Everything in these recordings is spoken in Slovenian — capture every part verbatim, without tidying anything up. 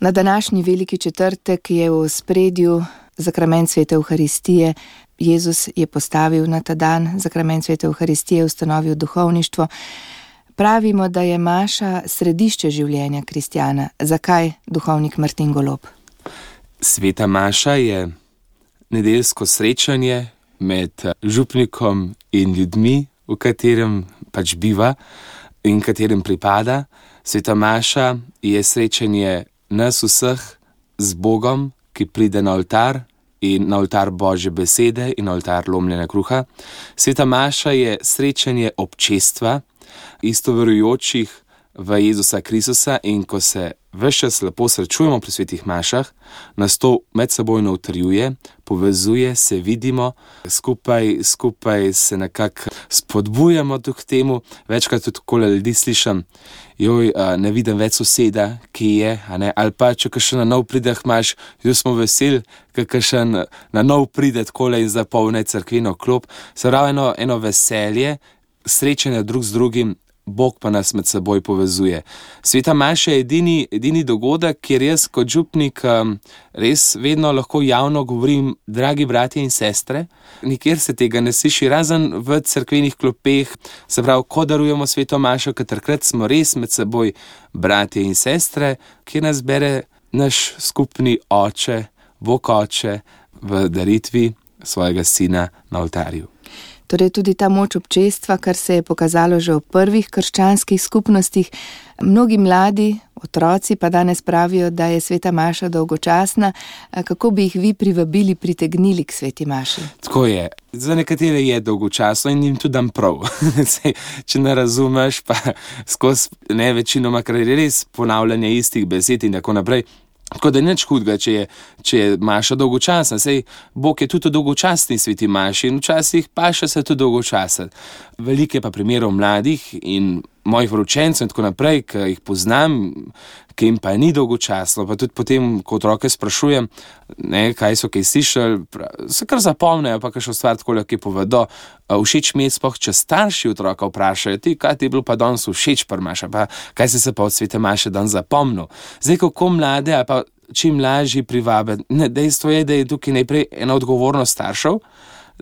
Na današnji veliki četrtek je v ospredju zakrament svete Evharistije. Jezus je postavil na ta dan zakrament svete Evharistije, ustanovil duhovništvo. Pravimo, da je maša središče življenja kristjana. Zakaj, duhovnik Martin Golob? Sveta maša je nedeljsko srečanje med župnikom in ljudmi, v katerem pač biva in katerem pripada. Sveta maša je srečanje nas vseh z Bogom, ki pride na oltar in na oltar Božje besede in na oltar lomljenja kruha. Sveta maša je srečanje občestva, isto verujočih v Jezusa Kristusa, in ko se ves čas lepo srečujemo pri svetih mašah, nas to medsebojno utrjuje, povezuje, se vidimo, skupaj, skupaj se nekako spodbujamo k temu. Večkrat tudi takole ljudi slišam, joj, ne vidim več soseda, ki je, a ne, ali pa če kakšen na nov pride imaš, jo smo veseli, kakšen na nov pride takole in zapolne cerkveno klop. Se pravi eno, eno veselje, srečanje drug z drugim, Bog pa nas med seboj povezuje. Sveta maša je edini, edini dogodek, kjer jaz kot župnik um, res vedno lahko javno govorim, dragi bratje in sestre, nikjer se tega ne sliši, razen v cerkvenih klopeh, se pravi, ko darujemo sveto mašo, ker takrat smo res med seboj bratje in sestre, kjer nas bere naš skupni oče, Bog oče, v daritvi svojega sina na oltarju. Torej tudi ta moč občestva, kar se je pokazalo že v prvih krščanskih skupnostih. Mnogi mladi, otroci pa danes pravijo, da je sveta maša dolgočasna. Kako bi jih vi privabili, pritegnili k sveti maši? Tako je. Za nekatere je dolgočasno in jim tudi dam prav. Če ne razumeš, pa skozi ne večinoma, kar je res ponavljanje istih besed in tako naprej. Tako da je nič hudega, če je, če je maša dolgočasna. Sej Bog je tudi dolgočasni sveti maši in včasih paša se tudi dolgočasen. Veliko je pa primerov mladih in mojih vročencev in tako naprej, ki jih poznam, ki jim pa ni dolgočasno. Pa tudi potem, ko otroke sprašujem, ne, kaj so kaj slišali, se kar zapomnejo, pa kakšno stvar tako, ki povedo. Všeč mi je sploh, če starši otroka vprašajo, ti, kaj ti je bilo pa danes všeč pri maši, pa kaj si se pa od svete maše danes zapomnil. Zdaj, kako mlade, ali pa čim lažji privabe. Ne, dejstvo je, da je tukaj najprej ena odgovornost staršev,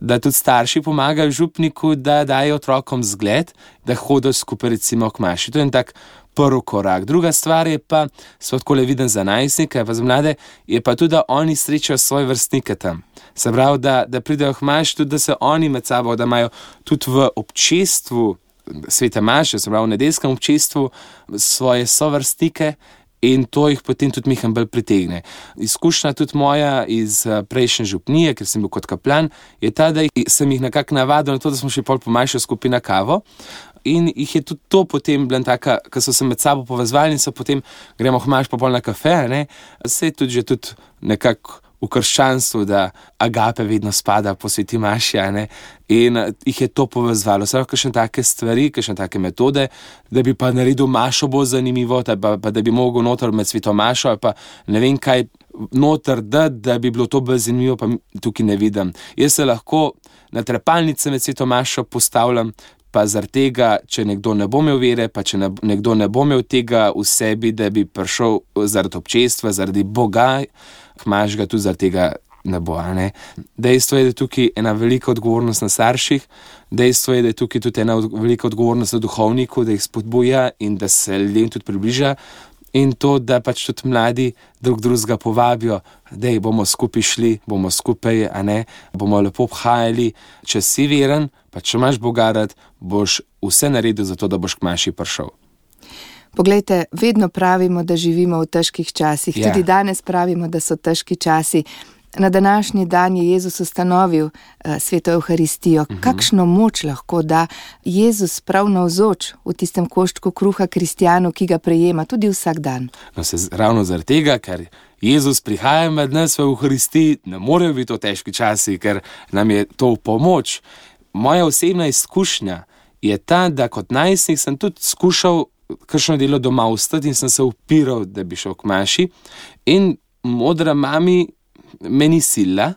da tudi starši pomagajo župniku, da dajo otrokom zgled, da hodijo skupaj recimo k maši. To je en tak prvi korak. Druga stvar je pa, so takole viden za najstnike, pa za mlade, je pa tudi, da oni srečajo svoje vrstnike tam. Se pravi, da, da pridejo k maši, tudi da se oni med sabo, da imajo tudi v občestvu svete maše, se pravi v nedeljskem občestvu, svoje sovrstnike, in to jih potem tudi Mihan bolj pritegne. Izkušnja tudi moja iz prejšnje župnije, ker sem bil kot kaplan, je ta, da sem jih nekako navadil na to, da smo še pol po maši skupaj na kavo. In jih je tudi to potem bila taka, ko so se med sabo povezvali in so potem gremo k maši pa pol na kafe, ne. Se je tudi že tudi nekako v krščanstvu, da agape vedno spada po sveti maši, ne, in jih je to povezvalo. Samo kakšne take stvari, kakšne take metode, da bi pa naredil mašo bolj zanimivo, pa, pa da bi mogel noter med sveto mašo, ali pa ne vem kaj noter dati, da bi bilo to bolj zanimivo, pa tukaj ne vidim. Jaz se lahko na trepalnice med sveto mašo postavljam, pa zaradi tega, če nekdo ne bo imel vere, pa če ne, nekdo ne bo imel tega v sebi, da bi prišel zaradi občestva, zaradi Boga, kmaž ga tudi zaradi tega ne bo, ne. Dejstvo je, da je tukaj ena velika odgovornost na starših, dejstvo je, da je tukaj tudi ena velika odgovornost na duhovniku, da jih spodbuja in da se ljudem tudi približa, in to, da pač tudi mladi drug drugega povabijo, dej, bomo skupaj šli, bomo skupaj, a ne, bomo lepo obhajali. Če si veren, pa če imaš Boga rad, boš vse naredil za to, da boš k maši prišel. Poglejte, vedno pravimo, da živimo v težkih časih. Ja. Tudi danes pravimo, da so težki časi. Na današnji dan je Jezus ustanovil uh, sveto Evharistijo. Uh-huh. Kakšno moč lahko da Jezus prav navzoč v tistem koščku kruha kristjanu, ki ga prejema tudi vsak dan? No, se ravno zaradi tega, ker Jezus prihaja med nas v Evharistiji, ne morejo biti to težki časi, ker nam je to v pomoč. Moja osebna izkušnja je ta, da kot najstnik sem tudi skušal kakšno delo doma ostati in sem se upiral, da bi šel k maši. In modra mami me ni sila.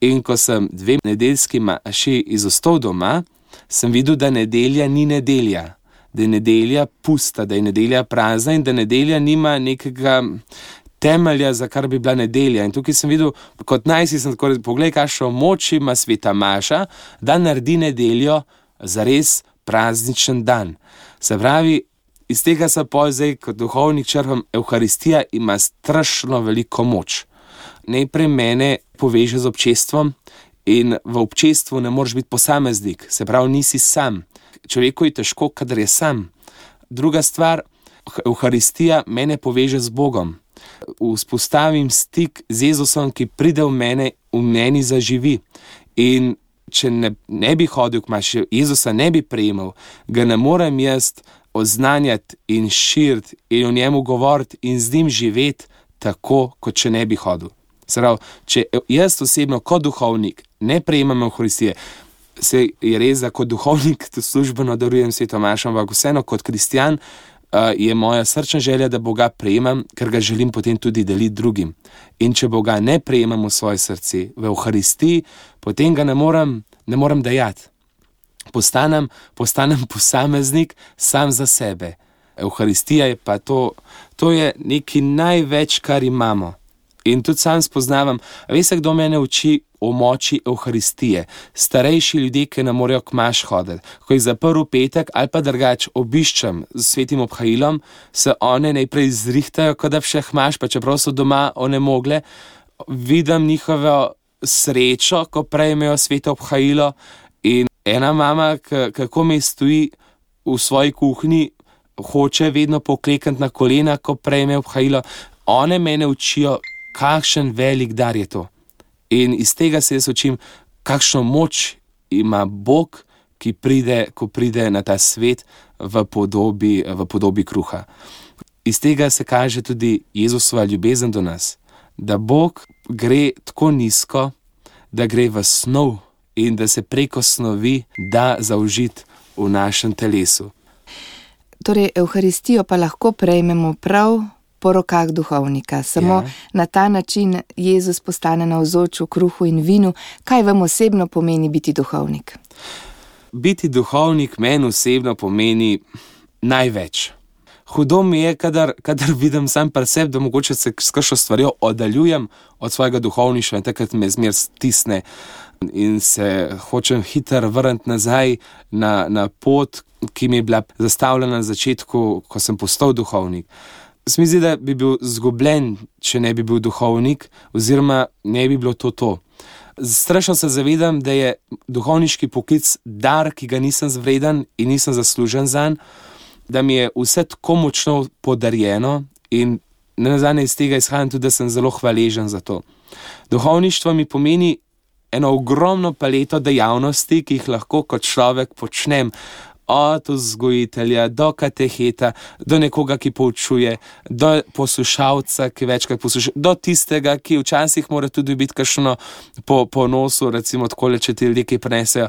In ko sem dve nedeljski maši izostal doma, sem videl, da nedelja ni nedelja. Da je nedelja pusta, da je nedelja prazna in da nedelja nima nekega temelja, za kar bi bila nedelja. In tukaj sem videl, kot najsi sem tako rekel, poglej, kakšno moč ima sveta Maša, da naredi nedeljo zares prazničen dan. Se pravi, iz tega se pol zdaj, kot duhovnik črpam, Evharistija ima strašno veliko moč. Najprej mene poveže z občestvom in v občestvu ne moreš biti posameznik, se pravi, nisi sam. Človeku je težko, kadar je sam. Druga stvar, Evharistija mene poveže z Bogom. Vzpostavim stik z Jezusom, ki pride v mene, v meni zaživi. In če ne, ne bi hodil k maši, Jezusa ne bi prejemal, ga ne morem jaz oznanjati in širiti in o njemu govoriti in z njim živeti tako, kot če ne bi hodil. Pravi, če jaz osebno kot duhovnik ne prejemam Evharistije, se je res, da kot duhovnik službeno darujem sveto mašo, ampak vseeno kot kristjan uh, je moja srčna želja, da Boga prejemam, ker ga želim potem tudi deliti drugim. In če Boga ne prejemam v svoje srce, v Evharistiji, potem ga ne morem, ne morem dajati. Postanem, postanem posameznik sam za sebe. Evharistija je pa to, to je nekaj največ, kar imamo. In tudi sam spoznavam, veste, kdo mene uči o moči Evharistije? Starejši ljudje, ki ne morejo k maš hoditi. Ko jih zaprl petek ali pa drugač obiščem z svetim obhajilom, se one najprej zrihtajo, kot da bi še maš, pa čeprav so doma onemogle, vidim njihovo srečo, ko prejmejo sveto obhajilo. In ena mama, kako mi stoji v svoji kuhinji, hoče vedno poklekniti na kolena, ko prejme obhajilo. One mene učijo, kakšen velik dar je to. In iz tega se jaz učim, kakšno moč ima Bog, ki pride, ko pride na ta svet v podobi, v podobi kruha. Iz tega se kaže tudi Jezusova ljubezen do nas, da Bog gre tako nizko, da gre v snov in da se preko snovi da zaužiti v našem telesu. Torej, Evharistijo pa lahko prejmemo prav po rokah duhovnika. Samo ja. Na ta način Jezus postane navzoč v kruhu in vinu. Kaj vam osebno pomeni biti duhovnik? Biti duhovnik meni osebno pomeni največ. Hudo mi je, kadar, kadar vidim sam pri sebi, da mogoče se s kakšno stvarjo oddaljujem od svojega duhovništva in takrat me zmer stisne in se hočem hitro vrniti nazaj na, na pot, ki mi je bila zastavljena na začetku, ko sem postal duhovnik. Se mi zdi, da bi bil zgubljen, če ne bi bil duhovnik, oziroma ne bi bilo to to. Strašno se zavedam, da je duhovniški poklic dar, ki ga nisem zvreden in nisem zaslužen zanj, da mi je vse tako močno podarjeno in nenazadnje iz tega izhajam tudi, da sem zelo hvaležen za to. Duhovništvo mi pomeni eno ogromno paleto dejavnosti, ki jih lahko kot človek počnem, od vzgojitelja do kateheta, do nekoga, ki poučuje, do poslušalca, ki večkrat posluša, do tistega, ki včasih mora tudi biti kakšno po, po nosu, recimo takole, če ti ljudje kaj prenesejo.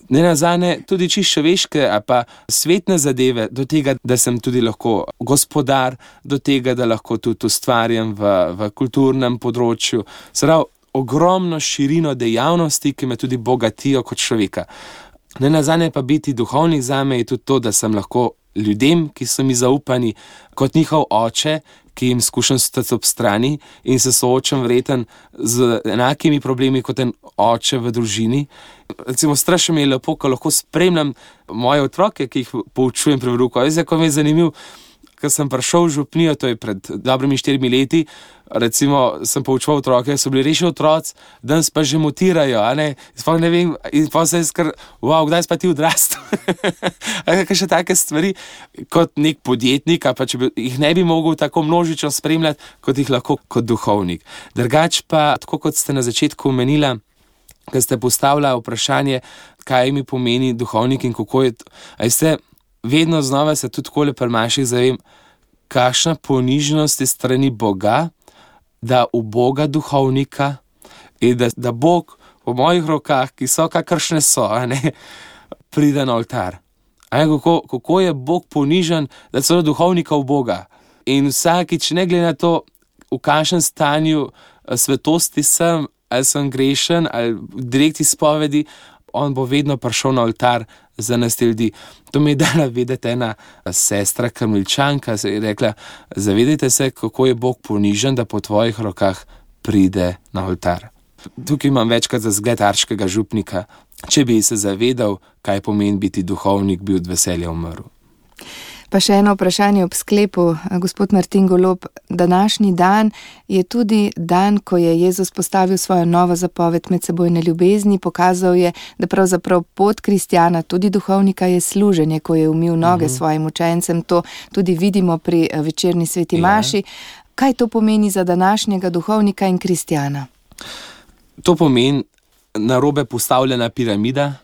Nenazadnje tudi čisto človeške, a pa svetne zadeve, do tega, da sem tudi lahko gospodar, do tega, da lahko tudi ustvarjam v, v kulturnem področju. Prav, ogromno širino dejavnosti, ki me tudi bogatijo kot človeka. Nenazadnje pa biti duhovnik zame je tudi to, da sem lahko ljudem, ki so mi zaupani, kot njihov oče, ki jim skušam stati ob strani in se soočam vreten z enakimi problemi kot en oče v družini. Recimo, strašno mi je lepo, ko lahko spremljam moje otroke, ki jih poučujem pri veruku. Veste, ko mi je zanimiv, ko sem prišel v župnijo, to je pred dobrimi štirimi leti, recimo sem poučeval otroke, so bili reši otroci, danes pa že mutirajo, a ne, sploh ne vem, in pa se je skar, wow, kdaj si pa ti odrastel? Kaj še take stvari, kot nek podjetnik, a pa če bi, jih ne bi mogel tako množično spremljati, kot jih lahko kot duhovnik. Drugač pa, tako kot ste na začetku omenila, ko ste postavila vprašanje, kaj mi pomeni duhovnik in kako je to, a ste, vedno znova se tudi takole pri manjših zavem, kakšna ponižnost je strani Boga, da v Boga duhovnika in da, da Bog v mojih rokah, ki so kakršne so, a ne, pride na oltar. A ne, kako, kako je Bog ponižen, da celo duhovnika v Boga. In vsakič, ne glede na to, v kakšnem stanju svetosti sem, ali sem grešen, ali v direktni spovedi, on bo vedno prišel na oltar za nas te ljudi. To mi je dala vedeti ena sestra Karmelčanka, se je rekla, zavedajte se, kako je Bog ponižen, da po tvojih rokah pride na oltar. Tukaj imam večkrat za zgled arškega župnika. Če bi se zavedal, kaj pomeni biti duhovnik, bi od veselja umrl. Pa še eno vprašanje ob sklepu, gospod Martin Golob. Današnji dan je tudi dan, ko je Jezus postavil svojo novo zapoved medsebojne ljubezni, pokazal je, da pravzaprav pot kristjana, tudi duhovnika, je služenje, ko je umil noge uh-huh. svojim učencem. To tudi vidimo pri večerni sveti maši. Ja. Kaj to pomeni za današnjega duhovnika in kristjana? To pomeni narobe postavljena piramida,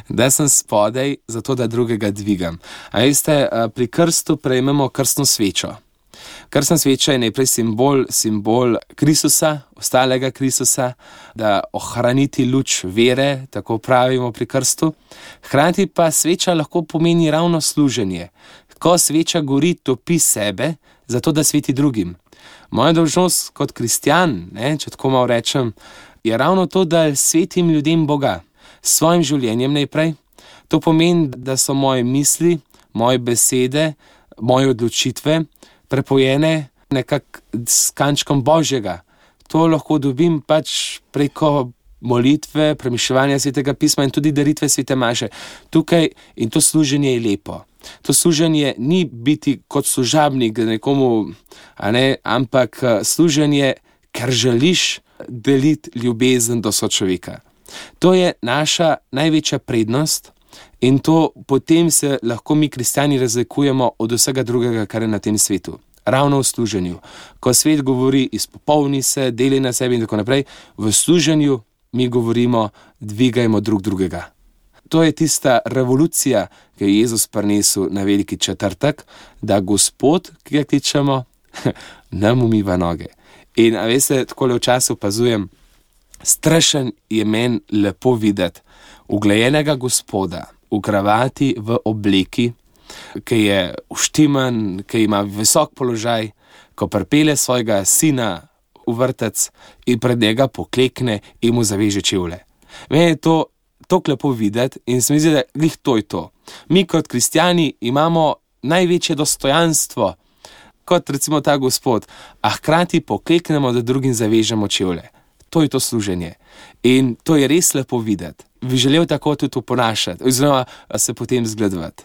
da sem spodaj, zato da drugega dvigam. A veste, pri krstu prejmemo krstno svečo. Krstna sveča je najprej simbol, simbol Kristusa, ostalega Kristusa, da ohraniti luč vere, tako pravimo pri krstu. Hkrati pa sveča lahko pomeni ravno služenje. Ko sveča gori, topi sebe, zato da sveti drugim. Moja dolžnost kot kristjan, ne, če tako malo rečem, je ravno to, da svetim ljudem Boga. S svojim življenjem najprej. To pomeni, da so moje misli, moje besede, moje odločitve prepojene nekako s kančkom Božjega. To lahko dobim pač preko molitve, premišljevanja Svetega pisma in tudi daritve Svete maše. Tukaj in to služenje je lepo. To služenje ni biti kot služabnik nekomu, a ne, ampak služenje, ker želiš deliti ljubezen do sočloveka. To je naša največja prednost in to potem se lahko mi kristjani razlikujemo od vsega drugega, kar je na tem svetu. Ravno v služenju. Ko svet govori izpopolni se, deli na sebi in tako naprej, v služenju mi govorimo dvigajmo drug drugega. To je tista revolucija, ki je Jezus prinesel na veliki četrtek, da Gospod, ki ga kličemo, nam umiva noge. In a veste, takole včasih opazujem, strašen je meni lepo videti uglajenega Gospoda v kravati, v obleki, ki je uštiman, ki ima visok položaj, ko pripelje svojega sina v vrtec in pred njega poklekne in mu zaveže čevlje. Meni je to tako lepo videti in se mi zdi, da glih to je to. Mi kot kristjani imamo največje dostojanstvo, kot recimo ta Gospod, a hkrati pokleknemo, da drugim zavežemo čevlje. To je to služenje. In to je res lepo videti. Bi želel tako tudi oponašati, oziroma se potem zgledovati.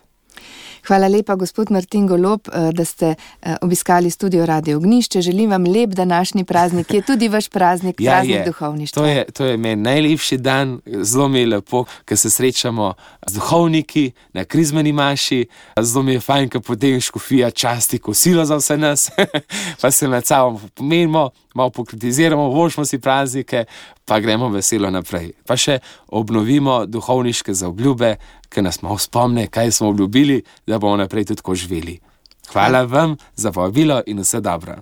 Hvala lepa, gospod Martin Golob, da ste obiskali studio Radio Ognjišče. Želim vam lep današnji praznik, ki je tudi vaš praznik, ja, praznik je. duhovništva. To je, to je meni najlepši dan, zelo mi je lepo, ker se srečamo z duhovniki na krizmeni maši, zelo mi je fajn, ker potem škofija časti kosilo za vse nas, pa se med sabo pomenimo, malo pokritiziramo, vošmo si praznike, pa gremo veselo naprej. Pa še obnovimo duhovniške zaobljube, ki nas malo spomne, kaj smo obljubili, da bomo naprej tudi tako živeli. Hvala vam za povabilo in vse dobro.